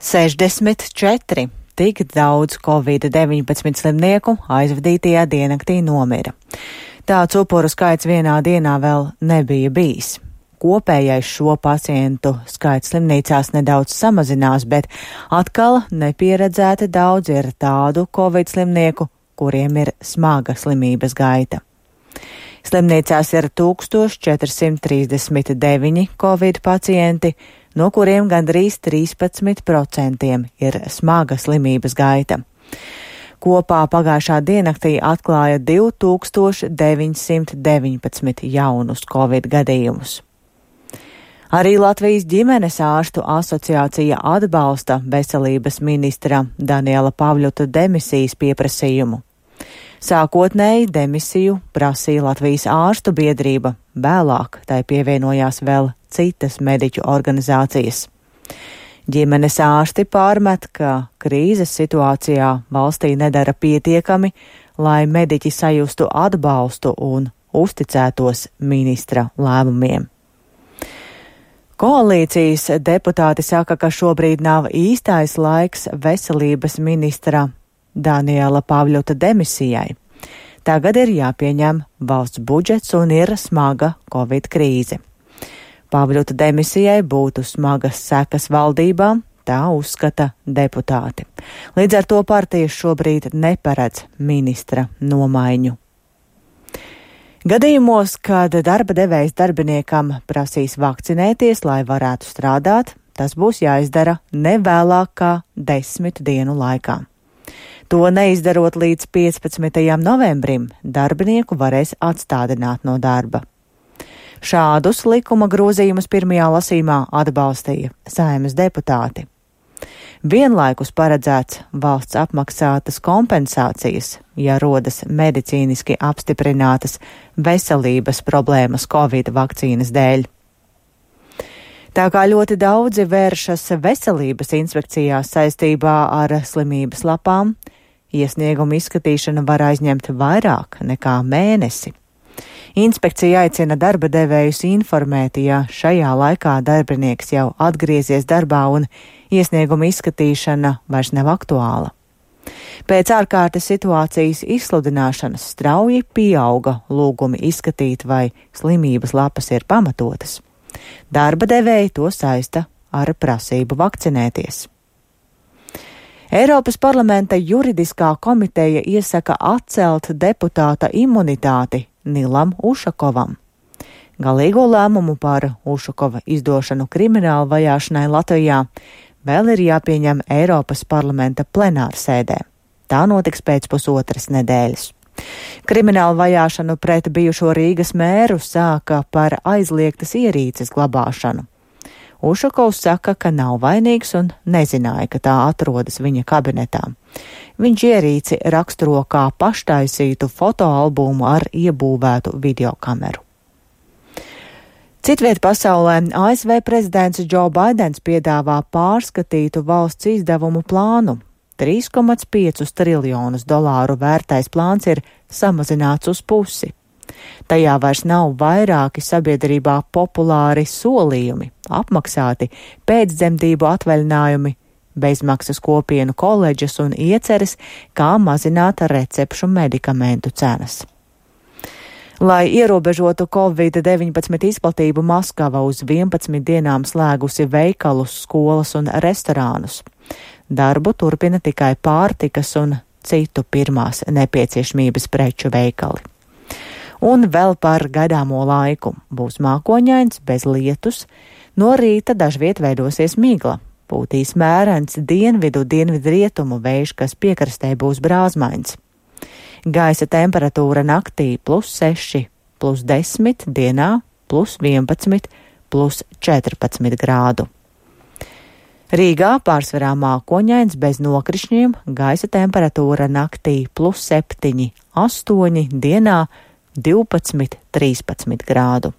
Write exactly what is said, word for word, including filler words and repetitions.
sešdesmit četri. Tik daudz covid deviņpadsmit slimnieku aizvadītajā diennaktī nomira. Tāds upuru skaits vienā dienā vēl nebija bijis. Kopējais šo pacientu skaits slimnīcās nedaudz samazinās, bet atkal nepieredzēti daudz ir tādu covid slimnieku, kuriem ir smaga slimības gaita. Slimnīcās ir tūkstoš četri simti trīsdesmit deviņi covid pacienti, no kuriem gandrīz trīspadsmit procentiem ir smaga slimības gaita. Kopā pagājušā diennaktī atklāja divi tūkstoši deviņi simti deviņpadsmit jaunus covid gadījumus. Arī Latvijas ģimenes ārstu asociācija atbalsta veselības ministra Daniela Pavļuta demisijas pieprasījumu. Sākotnēji demisiju prasīja Latvijas ārstu biedrība, vēlāk tai pievienojās vēl citas mediķu organizācijas. Ģimenes ārsti pārmet, ka krīzes situācijā valstī nedara pietiekami, lai mediķi sajustu atbalstu un uzticētos ministra lēmumiem. Koalīcijas deputāti saka, ka šobrīd nav īstais laiks veselības ministra Daniela Pavļuta demisijai. Tagad ir jāpieņem valsts budžets un ir smaga covid krīze. Pavļuta demisijai būtu smagas sekas valdībām, tā uzskata deputāti. Līdz ar to partijas šobrīd neparedz ministra nomaiņu. Gadījumos, kad darba devējs darbiniekam prasīs vakcinēties, lai varētu strādāt, tas būs jāizdara nevēlāk kā desmit dienu laikā. To neizdarot līdz piecpadsmitajam novembrim, darbinieku varēs atstādināt no darba. Šādus likuma grozījumus pirmajā lasījumā atbalstīja Saeimas deputāti. Vienlaikus paredzēts valsts apmaksātas kompensācijas, ja rodas medicīniski apstiprinātas veselības problēmas covid vakcīnas dēļ. Tā kā ļoti daudzi vēršas veselības inspekcijās saistībā ar slimības lapām, iesniegumu izskatīšana var aizņemt vairāk nekā mēnesi. Inspekcija aicina darba devējus informēt, ja šajā laikā darbinieks jau atgriezies darbā un iesnieguma izskatīšana vairs nav aktuāla. Pēc ārkārtas situācijas izsludināšanas strauji pieauga lūgumi izskatīt, vai slimības lapas ir pamatotas. Darba devēji to saista ar prasību vakcinēties. Eiropas parlamenta juridiskā komiteja iesaka atcelt deputāta imunitāti Nilam Ušakovam. Galīgo lēmumu par Ušakova izdošanu krimināla vajāšanai Latvijā vēl ir jāpieņem Eiropas parlamenta plenārsēdē. Tā notiks pēc pusotras nedēļas. Krimināla vajāšanu pret bijušo Rīgas mēru sāka par aizliegtas ierīces glabāšanu. Ušakovs saka, ka nav vainīgs un nezināja, ka tā atrodas viņa kabinetā. Viņš ierīci raksturo kā paštaisītu fotoalbumu ar iebūvētu videokameru. Citviet pasaulē A S V prezidents Džo Baidens piedāvā pārskatītu valsts izdevumu plānu. trīs komā pieci triljonus dolāru vērtais plāns ir samazināts uz pusi. Tajā vairs nav vairāki sabiedrībā populāri solījumi, apmaksāti pēcdzemdību atvaļinājumi, bezmaksas kopienu koledžas un ieceres, kā mazināt recepšu medikamentu cenas. Lai ierobežotu covid deviņpadsmit izplatību, Maskava uz vienpadsmit dienām slēgusi veikalus, skolas un restorānus. Darbu turpina tikai pārtikas un citu pirmās nepieciešamības preču veikali. Un vēl par gaidāmo laiku. Būs mākoņains, bez lietus, no rīta dažviet veidosies migla. Pūtīs mērens dienvidu, dienvidu rietumu vējš, kas piekrastē būs brāzmains. Gaisa temperatūra naktī plus seši, plus desmit, dienā plus vienpadsmit, plus četrpadsmit grādu. Rīgā pārsvarā mākoņains bez nokrišņiem, gaisa temperatūra naktī plus septiņi, astoņi, dienā divpadsmit, trīspadsmit grādu.